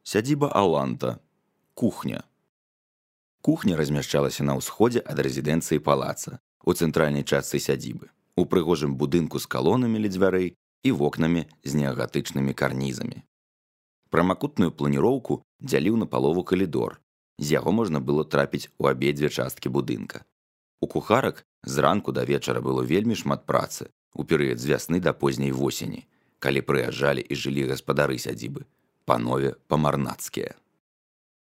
Сядзіба Аланта. Кухня. Кухня размяшчалася на ўсходзе ад рэзідэнцыі палаца, у цэнтральнай частцы сядзібы, у прыгожым будынку з калонамі ля дзвярэй і вокнамі з неагатычнымі карнізамі. Прамакутную планіроўку дзяліў на палову калідор, з яго можна было трапіць у абедзве часткі будынка. У кухарак зранку да вечара было вельмі шмат працы у перыяд з вясны да позняй восені, калі прыязджалі і жылі гаспадары сядзібы, панове па-марнацкія.